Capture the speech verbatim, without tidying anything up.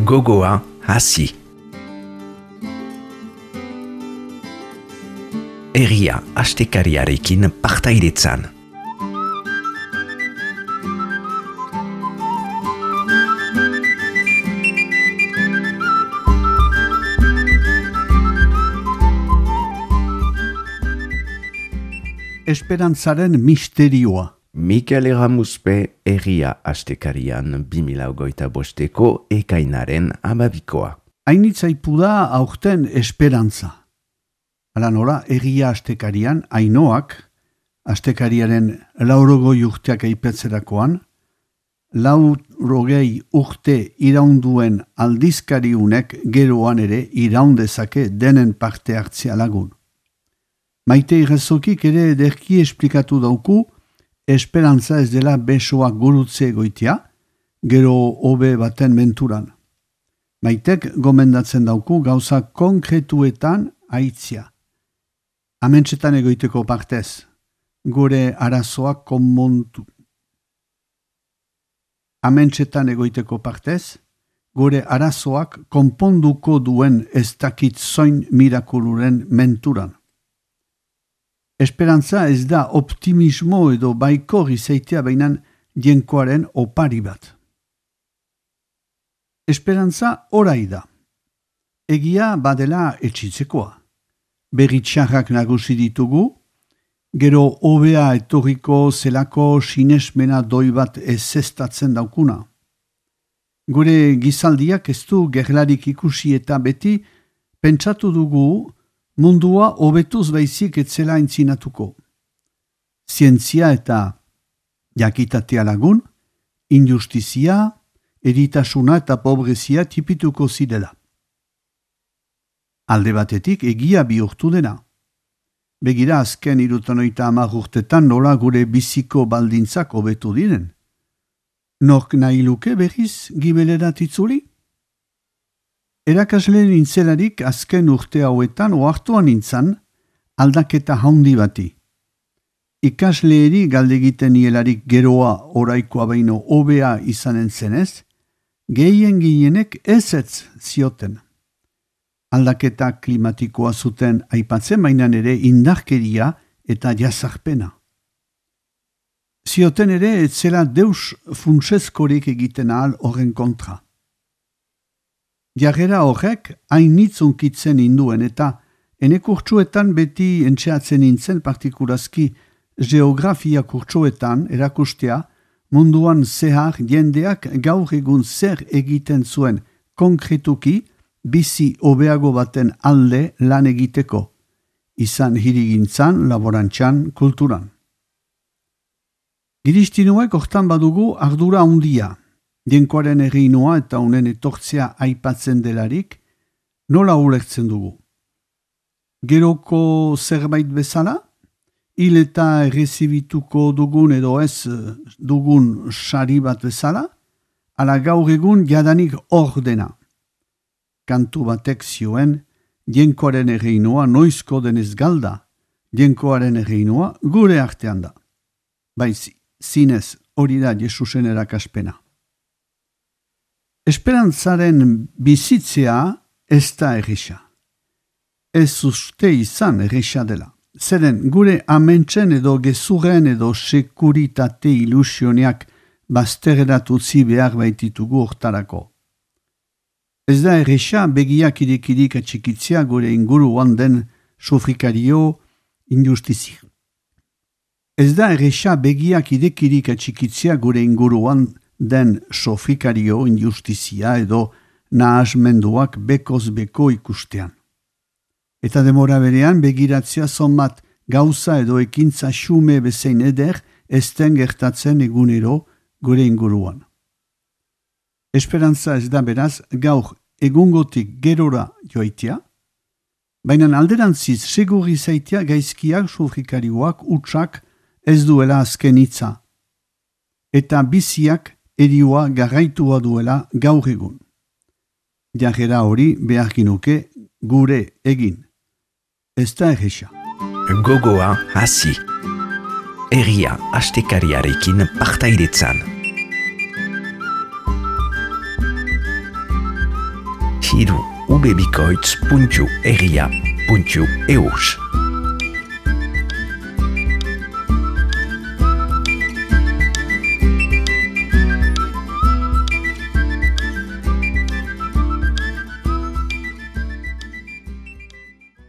Gogoa hasi. Herria astekariarekin partaidetzan. Esperantzaren misterioa. Mikel Erramuzpe herria astekarian bi mila hogeita bosteko ekainaren amabikoa. Hainitzaipu da aurten esperantza. Hala nola, herria astekarian, Ainoak, astekariaren laurogoi urteak aipetzerakoan, laurogei urte iraunduen aldizkariunek geroan ere iraundezake denen parte hartzea lagun. Maite Irrezokik ere ederki esplikatu dauku, esperantza ez dela besoak gurutze egoitia, gero hobe baten menturan. Maitek gomendatzen dauku gauza konkretuetan aitzia. Amentsetan egoiteko partez, gure arazoak konmontu. Amentsetan egoiteko partez, gure arazoak konponduko duen ez dakit zoin mirakuluren menturan. Esperantza ez da optimismo edo baikor izaitea bainan jenkoaren opari bat. Esperantza orai da. Egia badela etxitzekoa. Berritxarrak nagusi ditugu, gero hobea etorriko zelako sinesmena doi bat ezestatzen daukuna. Gure gizaldiak ez du gerlarik ikusi eta beti pentsatu dugu mundua hobetuz baizik etzela entzinatuko. Zientzia eta jakitatea lagun, injustizia, eritasuna eta pobrezia tipituko zirela. Alde batetik egia bihurtu dena. Begira azken irutanoita hamar urtetan nola gure biziko baldintzak hobetu diren. Nork nahi luke berriz gibelerat itzuli? Erakasle nintzelarik azken urte hauetan ohartuan nintzan aldaketa haundi bati. Ikasleeri galdegiten nielarik geroa oraikoa baino hobea izanen zenez, gehien ginenek ezetz zioten. Aldaketa klimatikoa zuten aipatzen bainan ere indarkeria eta jazarpena. Zioten ere etzela deus funtsezkorik egiten ahal horren kontra. Jarrera horrek hainitz unkitzen induen eta ene kurtsuetan beti entxeatzen nintzen partikurazki geografia kurtsuetan erakustea munduan zehar jendeak gaur egun zer egiten zuen konkretuki bizi hobeago baten alde lan egiteko, izan hirigintzan, laborantzan, kulturan. Giristinuek hortan badugu ardura handia. Jenkoaren erreinoa eta honen etortzea aipatzen delarik, nola ulertzen dugu? Geroko zerbait bezala? Hil eta errezibituko dugun edo ez dugun sari bat bezala? Ala gaur egun jadanik hor dena. Kantu batek zioen, jenkoaren erreinoa noizko denez galda, jenkoaren erreinoa gure artean da. Baiz, zinez hori da Jesusen erakaspena. Esperantzaren bizitzea ez da erresa. Ez uste izan erresa dela. Zeren gure amentsen edo gezurren edo sekuritate ilusioneak bazterreratutzi behar baititugu hortarako. Ez da erresa begiak irekirik atxikitzea gure inguruan den sofrikario injustizi. Ez da erresa begiak irekirik atxikitzea gure inguruan den sofrikario injustizia edo nahasmenduak bekoz beko ikustean. Eta demora berean begiratzea zonbat gauza edo ekintza xume bezein eder ezten gertatzen egunero gure inguruan. Esperantza ez da beraz gaur egungotik gerora joaitea, baina alderantziz segurri zaitea gaizkiak sofrikarioak utxak ez duela azken hitza, eta biziak erioa garraitua duela gaur egun. Jarrera hori behar ginuke gure egin. Ez da erresa. Gogoa hasi. Herria astekariarekin partaidetzan. hiru ubebikoitz puntu egia puntu eus.